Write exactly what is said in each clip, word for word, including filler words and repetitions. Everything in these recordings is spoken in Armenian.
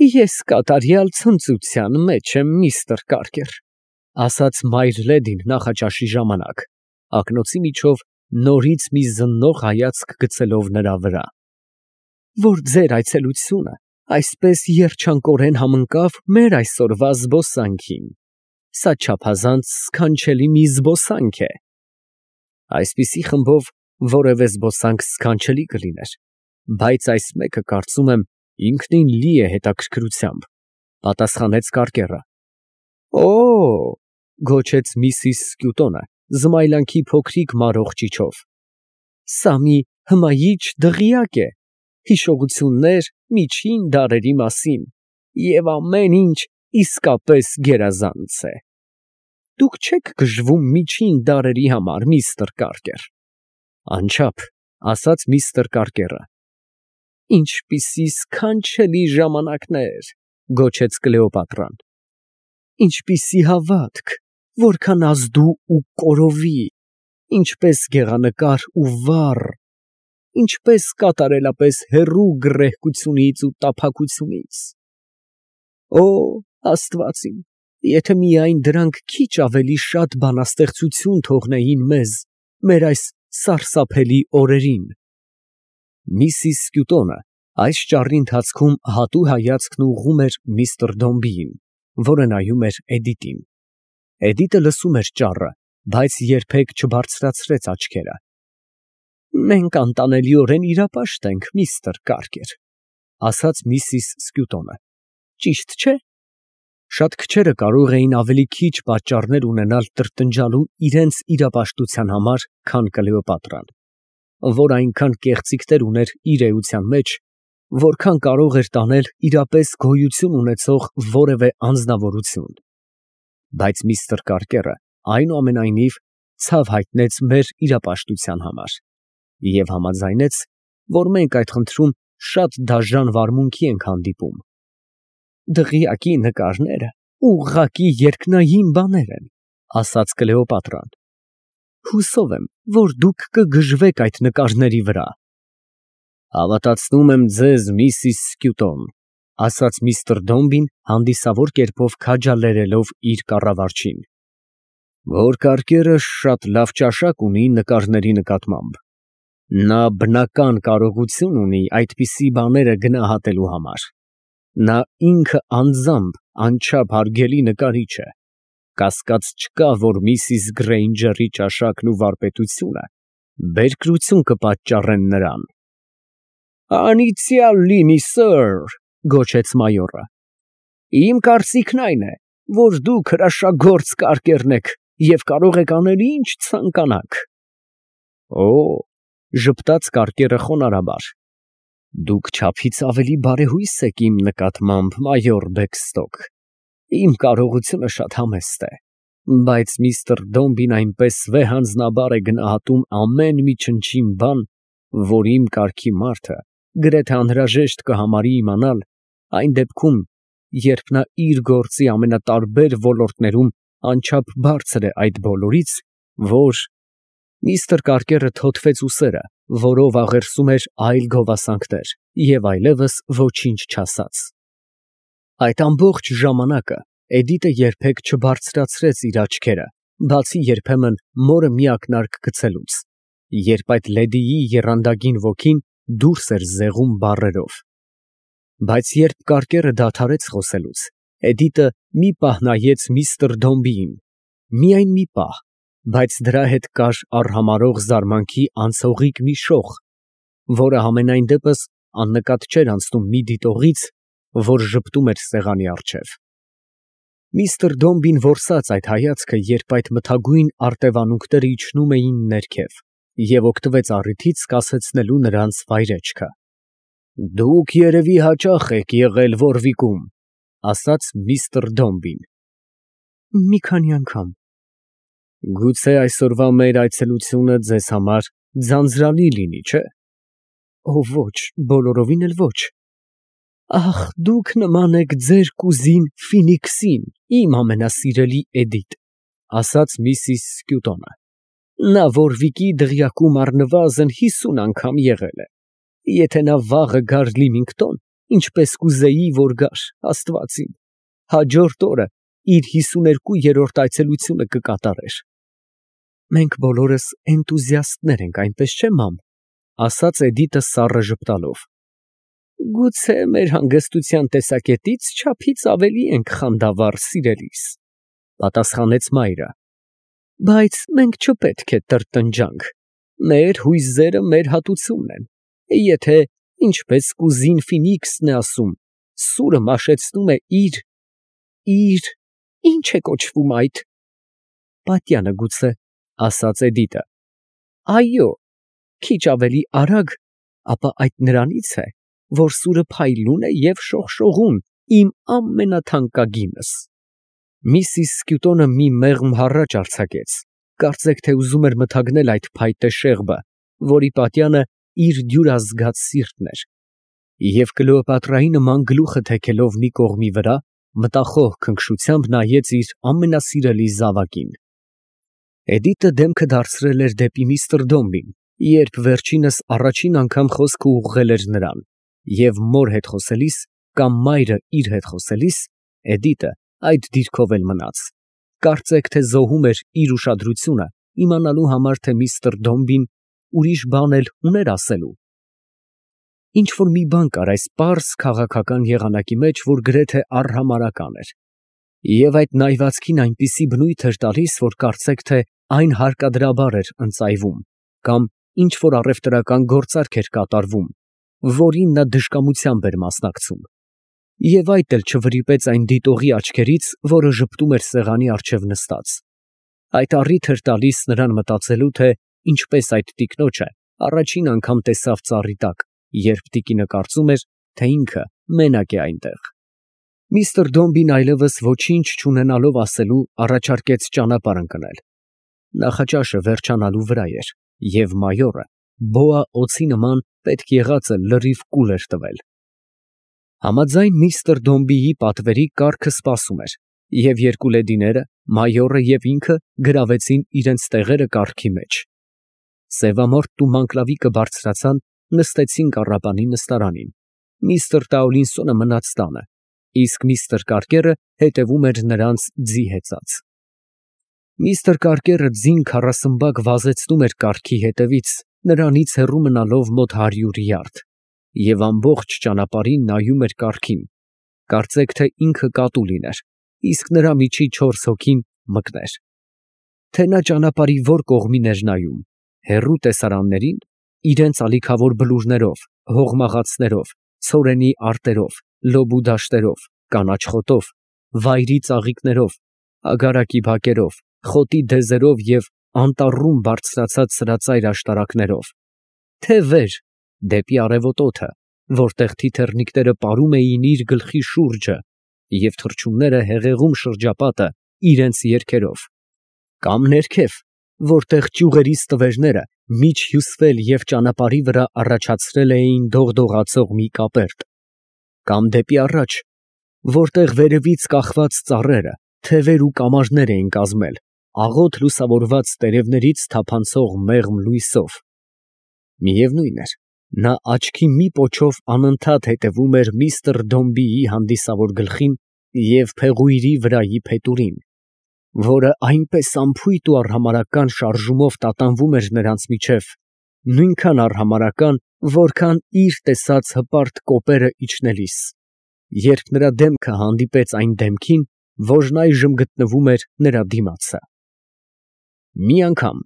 Ես կատարյալ ցնծության մեջ եմ, միստր Կարկեր, ասաց մայր լեդին նախաճաշի ժամանակ, ակնոցի միջով նորից մի զննող հայացք գցելով նրա վրա, որ ձեր այցելությունը այսպես երջանկորեն համընկավ մեր այսօրվա զբոսանքին. սա չափազանց սքանչելի մի զբոսանք է։ Այսպիսի խմբով որևէ զբոսանք սքանչելի կլիներ, բայց այս մեկը, կարծում եմ, ինքնին լի է հետաքրքրությամբ, պատասխանեց Կարկերը։ Օ, գոչեց միսիս Սկյուտոնը զմայլանքի փոքրիկ մարող ճիչով, սա մի հմայիչ դղյակ է, հիշողություններ միջին դարերի մասին, և ամեն ինչ իսկապես գերազանց է։ Դուք չեք գժվում միջին դարերի համար, միստր Կարկեր։ Անչափ, ասաց միստր Կարկերը։ Ինչպիսի սքանչելի ժամանակներ, գոչեց Կլեոպատրան։ Ինչպիսի հավատք, որքան ազդու ու կորովի, ինչպես գեղանկար ու վառ, ինչպես կատարելապես հեռու գռեհկությունից ու տափակությունից։ Օ, Աստված իմ, եթե միայն դրանք քիչ ավելի շատ բանաստեղծություն թողնեին մեզ, մեր այս սարսափելի օրերին։ Միսիս Սկյուտոնը այս ճառի ընթացքում հատու հայացքն ուղղում էր միստր Դոմբիին, որը նայում էր Էդիտին։ Էդիտը լսում էր ճառը, բայց երբեք չբարձրացրեց աչքերը։ Մենք անտանելիորեն իրապաշտ ենք, միստր Կարկեր, ասաց միսիս Սկյուտոնը, ճիշտ չէ։ Շատ քչերը կարող էին ավելի քիչ պատճառներ ունենալ տրտնջալու իրենց իրապաշտության համար, քան Կլեոպատրան, որ այնքան կեղծիքներ ուներ իր էության մեջ, որքան կարող էր տանել իրապես գոյություն ունեցող որևէ անձնավորություն։ Բայց միստր Կարկերը այնուամենայնիվ ցավ հայտնեց մեր իրապաշտության համար և համաձայնեց, որ մենք այդ խնդրում շատ դաժան վարմունքի ենք հանդիպում։ Դղյակի նկարները ուղղակի երկնային բաներ են, ասաց Կլեոպատրան։ Հուսով եմ, որ դուք կգժվեք այդ նկարների վրա։ Հավատացնում եմ ձեզ, միսիս Սկյուտոն, ասաց միստր Դոմբին հանդիսավոր կերպով քաջալերելով իր կառավարչին, որ Կարկերը շատ լավ ճաշակ ունի նկարների նկատմամբ։ Նա բնական կարողություն ունի այդպիսի բաները գնահատելու համար։ Նա ինքը անձամբ անչափ հարգելի նկարիչ է։ Կասկած չկա, որ միսիս Գրեյնջերի ճաշակն ու վարպետությունը բերկրություն կպատճառեն նրան։ Անիծյալ լինի, սըր, գոչեց մայորը։ Իմ կարծիքն այն է, որ դուք հրաշագործ կարկերն եք և կարող եք անել ինչ ցանկանաք։ Օ, ժպտաց Կարկերը խոնարհաբար, դուք չափից ավելի բարեհույս եք իմ նկատմամբ, մայոր Բեքստոկ, իմ կարողությունը շատ համեստ է, բայց միստր Դոմբին այնպես վեհանձնաբար է գնահատում ամեն մի չնչին բան, որ իմ կարգի մարդը գրեթե անհրաժեշտ կհամարի իմանալ այն դեպքում, երբ նա իր գործի ամենատարբեր ոլորտներում անչափ բարձր է այդ բոլորից, որ… Միստր Կարկերը թոթվեց ուսերը, որով աղերսում էր այլ գովասանքներ, և այլևս ոչինչ չասաց։ Այդ ամբողջ ժամանակը Էդիտը երբեք չբարձրացրեց իր աչքերը, բացի երբեմն մորը մի ակնարկ գցելուց, երբ այդ լեդիի եռանդագին ոգին դուրս էր զեղում բառերով։ Բայց երբ Կարկերը դադարեց խոսելուց, Էդիտը մի պահ նայեց միստր Դոմբիին, միայն մի պահ, բայց դրա հետ կար արհամարհող զարմանքի անցողիկ մի շող, որը համենայն դեպս աննկատ չէր անցնում մի դիտողից, որ ժպտում էր սեղանի առջև։ Միստր Դոմբին որսաց այդ հայացքը, երբ այդ մթագույն արտևանունքները իջնում էին ներքև, և օգտվեց առիթից կասեցնելու նրանց վայրեջքը։ Դուք երևի հաճախ եք եղել Որվիկում, ասաց միստր Դոմբին։ Մի քանի անգամ։ Գուցե այսօրվա մեր այցելությունը ձեզ համար ձանձրալի լինի, չէ՞։ Օ, ոչ, բոլորովին էլ ոչ։ Ախ, դուք նման եք ձեր կուզին Ֆինիքսին, իմ ամենասիրելի Էդիտ, ասաց միսիս Սկյուտոնը։ Նա Որվիկի դղյակում առնվազն հիսուն անգամ եղել է։ Եթե նա վաղը գար Լիմինգտոն, ինչպես կուզեի, որ գար, Աստված իմ, հաջորդ օրը իր հիսուներկուերորդ այցելությունը կկատարեր։ Մենք բոլորս էնտուզիաստներ ենք, այնպես չէ՞, մամ, ասաց Էդիտը սառը ժպտալով։ Գուցե մեր հանգստության տեսակետից չափից ավելի ենք խանդավառ, սիրելիս, պատասխանեց մայրը, բայց մենք չպետք է տրտնջանք, մեր հույզերը մեր հատուցումն են, եթե, ինչպես կուզին Ֆինիքսն է ասում, սուրը մաշեցնում է իր, իր, ինչ է կոչվում այդ, պատյանը գուցե, ասաց Էդիտը, այո, քիչ ավելի արագ, ապա այդ նրանից է, որ սուրը փայլուն է և շողշողուն, իմ ամենաթանկագինս։ Միսիս Սկյուտոնը մի մեղմ հառաչ արձակեց, կարծեք թե ուզում էր մթագնել այդ փայտե շեղբը, որի պատյանը իր դյուրազգաց սիրտն էր, և Կլեոպատրայի նման գլուխը թեքելով մի կողմի վրա, մտախոհ քնքշությամբ նայեց իր ամենասիրելի զավակին։ Էդիտը դեմքը դարձրել էր դեպի միստր Դոմբին, երբ վերջինս առաջին անգամ խոսքը ուղղել էր նրան, և մոր հետ խոսելիս կամ մայրը իր հետ խոսելիս, Էդիտը այդ դիրքով էլ մնաց, կարծեք թե զոհում էր իր ուշադրությունը իմանալու համար, թե միստր Դոմբին ուրիշ բան էլ ուներ ասելու։ Ինչ-որ մի բան կար այս պարզ քաղաքական եղանակի մեջ, որ գրեթե արհամարհական էր, և այդ նայվածքին այնպիսի բնույթ էր տալիս, որ կարծեք թե այն հարկադրաբար էր ընծայվում, կամ ինչ-որ առևտրական գործարք էր կատարվում, որին նա դժկամությամբ էր մասնակցում, և այդ էլ չվրիպեց այն դիտողի աչքերից, որը ժպտում էր սեղանի առջև նստած։ Այդ առիթ էր տալիս նրան մտածելու, թե ինչպես այդ տիկնոջը առաջին անգամ տեսավ ծառի տակ, երբ տիկինը կարծում էր, թե ինքը մենակ է այնտեղ։ Միստր Դոմբին այլևս ոչինչ չունենալով ասելու, առաջարկեց ճանապարհ ընկնել։ Նախաճաշը վերջանալու վրա էր, և մայորը բոա օձի նման պետք եղածը լրիվ կուլ էր տվել։ Համաձայն միստր Դոմբիի պատվերի կառքը սպասում էր, և երկու լեդիները, մայորը և ինքը գրավեցին իրենց տեղերը կառքի մեջ։ Սևամորթն ու Մանկլավիկը բարձրացան, նստեցին կառապանի նստարանին, միստր Տաուլինսոնը մնաց տանը, իսկ միստր Կարկերը հետևում էր նրանց ձի հեծած։ Միստր Կարկերը ձին քառասմբակ վազեցնում էր կառքի հետևից, նրանից հեռու մնալով մոտ հարյուր յարդ, և ամբողջ ճանապարհին նայում էր կառքին, կարծեք թե ինքը կատու լիներ, իսկ նրա միջի չորս հոգին մկներ։ Թե նա ճանապարհի որ կողմին էր նայում, հեռու տեսարաններին, իրենց ալիքավոր բլուրներով, հողմաղացներով, ցորենի արտերով, լոբու դաշտերով, կանաչ խոտով, վայրի ծաղիկներով, ագարակի բակերով, խոտի դեզերով և անտառում բարձրացած սրածայր աշտարակներով, թե վեր, դեպի արևոտ օդը, որտեղ թիթեռնիկները պարում էին իր գլխի շուրջը և թռչունները հեղեղում շրջապատը իրենց երգերով, կամ ներքև, որտեղ ճյուղերի ստվերները միջ հյուսվել և ճանապարհի վրա առաջացրել էին դողդողացող մի կապերտ, կամ դեպի առաջ, որտեղ վերևից կախված ծառերը, թևեր ու կամարներ էին կազմել, աղոտ լուսավորված տերևներից թափանցող մեղմ լույսով։ Միևնույն էր, նա աչքի մի պոչով անընդհատ հետևում էր միստր Դոմբիի հանդիսավոր գլխին և փեղույրի վրայի փետուրին, որը այնպես անփույթ ու արհամարհական շարժումով տատանվում էր նրանց միջև, նույնքան արհամարհական, որքան իր տեսած հպարտ կոպերը իջնելիս, երբ նրա դեմքը հանդիպեց այն դեմքին, որն այժմ գտնվում էր նրա դիմացը։ Մի անգամ,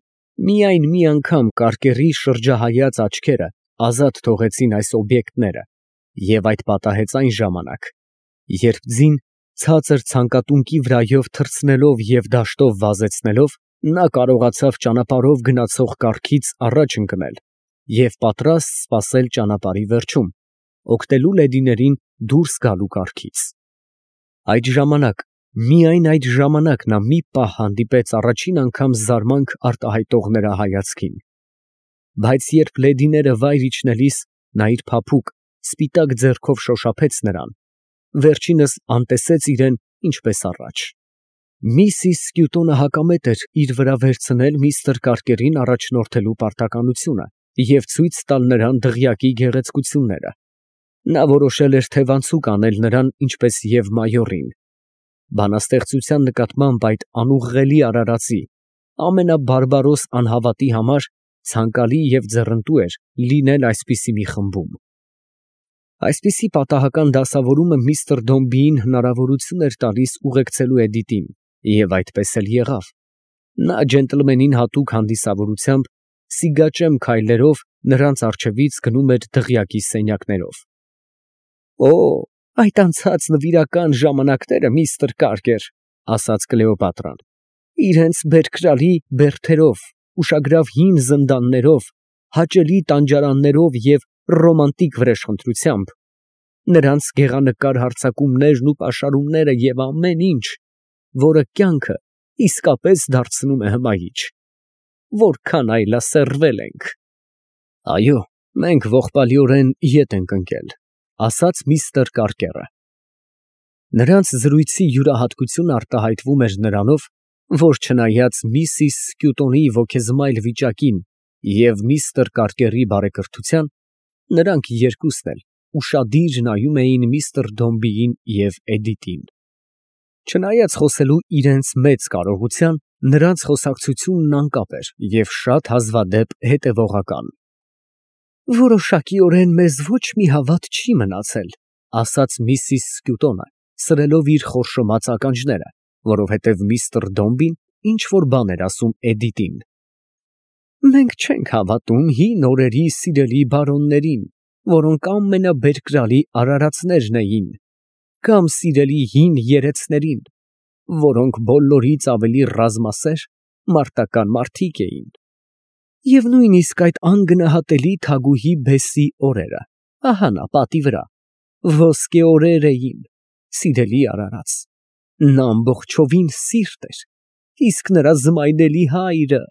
միայն մի անգամ Կարկերի շրջահայաց աչքերը ազատ թողեցին այս օբյեկտները, և այդ պատահեց այն ժամանակ, երբ ձին ցածր ցանկատունկի վրայով թռցնելով և դաշտով վազեցնելով, նա կարողացավ ճանապարհով գնացող կառքից առաջ ընկնել և պատրաստ սպասել ճանապարհի վերջում, օգնելու լեդիներին դուրս գալու կառքից։ Այդ ժամանակ, միայն այդ ժամանակ նա մի պահ հանդիպեց առաջին անգամ զարմանք արտահայտող նրա հայացքին, բայց երբ լեդիները վայր իջնելիս նա իր փափուկ, սպիտակ ձեռքով շոշափեց նրան, վերջինս անտեսեց իրան ինչպես առաջ։ Միսիս Սկյուտոնը հակամետ էր իր վրա վերցնել միստր Կարկերին առաջնորդելու պարտականությունը և ցույց տալ նրան դղյակի գեղեցկությունները, Նա որոշել էր թևանցուկ անել նրան, ինչպես և մայորին։ Բանաստեղծության նկատմամբ այդ անուղղելի արարածի ամենաբարբարոս անհավատի համար ցանկալի և ձեռնտու էր լինել այսպիսի մի խմբում։ Այսպիսի պատահական դասավորումը միստր Դոմբիին հնարավորություն էր տալիս ուղեկցելու Էդիտին, և այդպես էլ եղավ. նա ջենտլմենին հատուկ հանդիսավորությամբ սիգաճեմ քայլերով նրանց առջևից գնում էր դղյակի սենյակներով։ ֊ Օ, այդ անցած նվիրական ժամանակները, միստր Կարկեր, ֊ ասաց Կլեոպատրան, ֊ իրանց բերկրալի բերդերով, ուշագրավ հին զնդաններով, հաճելի տանջարաններով և ռոմանտիկ վրեժխնդրությամբ, նրանց գեղանկար հարձակումներն ու պաշարումները և ամեն ինչ, որը կյանքը իսկապես դարձնում է հմայիչ… Որքան այլասերվել ենք… ֊ Այո, մենք ողբալիորեն ետ ենք ընկել, ֊ ասաց միստր Կարկերը։ Նրանց զրույցի յուրահատկությունը արտահայտվում էր նրանով, որ չնայած միսիս Սկյուտոնի ոգեզմայլ վիճակին և միստր Կարկերի բարեկրթության, նրանք երկուսն էլ ուշադիր նայում էին միստր Դոմբիին և Էդիտին։ Չնայած խոսելու իրենց մեծ կարողության, նրանց խոսակցությունն անկապ էր և շատ հազվադեպ հետևողական։ ֊ Որոշակիորեն մեզ ոչ մի հավատ չի մնացել, ֊ ասաց միսիս Սկյուտոնը, սրելով իր խորշոմած ականջները, որովհետև միստր Դոմբին ինչ֊որ բան էր ասում Էդիտին։ ֊ Մենք չենք հավատում հին օրերի սիրելի բարոններին, որոնք ամենաբերկրալի արարածներն էին, կամ սիրելի հին երեցներին, որոնք բոլորից ավելի ռազմասեր, մարտական մարդիկ էին, և նույնիսկ այդ անգնահատելի թագուհի Բեսի օրերը, ահա նա պատի վրա, ոսկե օրեր էին, սիրելի արարած, նա ամբողջովին սիրտ էր, իսկ նրա զմայնելի հայրը…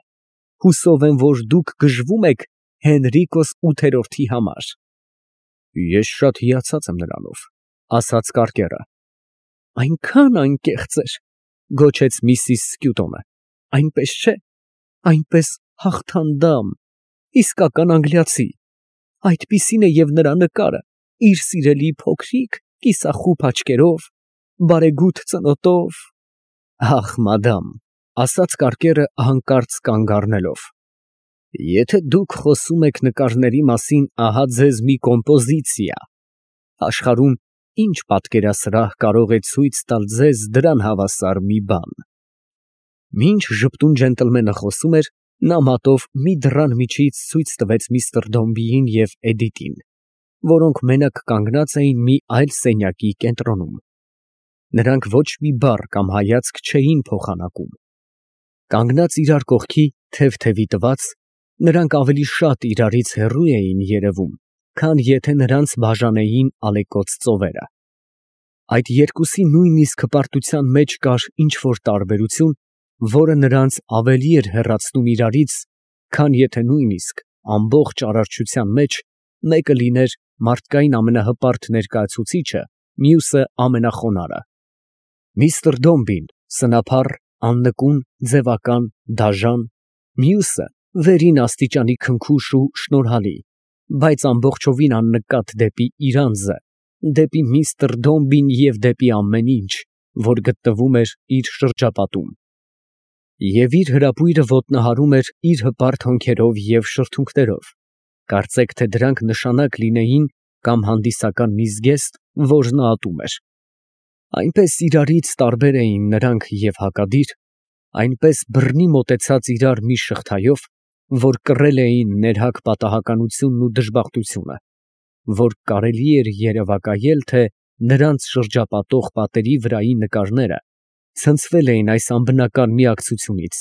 Հուսով եմ, որ դուք գժվում եք Հենրիկոս ութերորդի համար։ ֊ Ես շատ հիացած եմ նրանով, ֊ ասաց Կարկերը։ ֊ Այնքան անկեղծ էր, ֊ գոչեց միսիս Սկյուտոնը, ֊ այնպես չէ, այնպես հաղթանդամ, իսկական անգլիացի… Այդպիսին է և նրա նկարը, իր սիրելի փոքրիկ կիսախուփ աչքերով, բարեգութ ծնոտով… ֊ Ախ, մադամ, ֊ ասաց Կարկերը հանկարծ կանգ առնելով, ֊ եթե դուք խոսում եք նկարների մասին, ահա ձեզ մի կոմպոզիցիա… Աշխարհում ի՞նչ պատկերասրահ կարող է ցույց տալ ձեզ դրան հավասար մի բան… Մինչ ժպտուն ջենտլմենը խոսում էր, նա մատով մի դռան միջից ցույց տվեց միստր Դոմբիին և Էդիտին, որոնք մենակ կանգնած էին մի այլ սենյակի կենտրոնում. նրանք ոչ մի բառ կամ հայացք չէին փոխանակում. կանգնած իրար կողքի, թև֊թևի տված, նրանք ավելի շատ իրարից հեռու էին երևում, քան եթե նրանց բաժանեին ալեկոծ ծովերը։ Այդ երկուսի նույնիսկ հպարտության մեջ կար ինչ֊որ տարբերություն, որը նրանց ավելի էր հեռացնում իրարից, քան եթե նույնիսկ ամբողջ արարչության մեջ մեկը լիներ մարդկային ամենահպարտ ներկայացուցիչը, մյուսը ամենախոնարհը։ Միստր Դոմբին սնափառ, աննկուն, ձևական, դաժան, մյուսը վերին աստիճանի քնքուշ ու շնորհալի, բայց ամբողջովին աննկատ դեպի իր անձը, դեպի միստր Դոմբին և դեպի ամեն ինչ, որ գտնվում էր իր շրջապատում։ Եվ իր հրապույրը ոտնահարում էր իր հպարտ հոնքերով և շրթունքներով, կարծեք թե դրանք նշանակ լինեին կամ հանդիսական մի զգեստ, որ նա ատում էր։ Այնպես իրարից տարբեր էին նրանք և հակադիր, այնպես բռնի մոտեցած իրար մի շղթայով, որ կռել էին ներհակ պատահականությունն ու դժբախտությունը, որ կարելի էր երևակայել, թե նրանց շրջապատող պատերի վրայի նկարները ցնցվել էին այս անբնական միակցությունից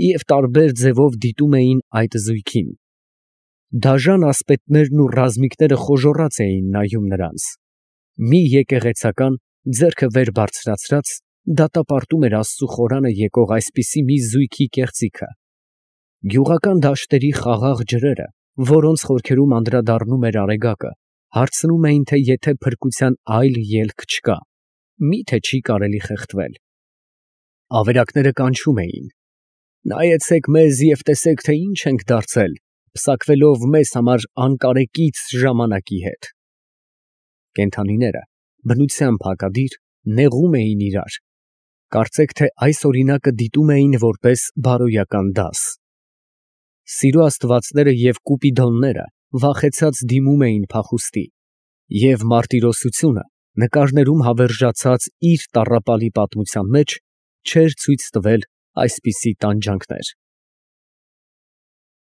և տարբեր ձևով դիտում էին այդ զույգին։ Դաժան ասպետներն ու ռազմիկները խոժոռաց էին նայում նրանց։ Մի եկեղեցական, ձեռքը վեր բարձրացրած, դատապարտում էր Աստծու խորանը եկող այսպիսի մի զույգի կեղծիքը։ Գյուղական դաշտերի խաղաղ ջրերը, որոնց խորքերում անդրադառնում էր արեգակը, հարցնում էին, թե եթե փրկության այլ ելք չկա, մի՞թե չի կարելի խեղդվել։ Ավերակները կանչում էին. «Նայեցեք մեզ և տեսեք, թե ինչ ենք դարձել, պսակվելով մեզ համար անկարեկից ժամանակի հետ»։ Կենդանիները բնությամբ հակադիր նեղում էին իրար, կարծեք թե այս օրինակը դիտում էին որպես բարոյական դաս։ Սիրո աստվածները և կուպիդոնները վախեցած դիմում էին փախուստի, և մարտիրոսությունը նկարներում հավերժացած իր տառապալի պատմության մեջ չէր ցույց տվել այսպիսի տանջանքներ։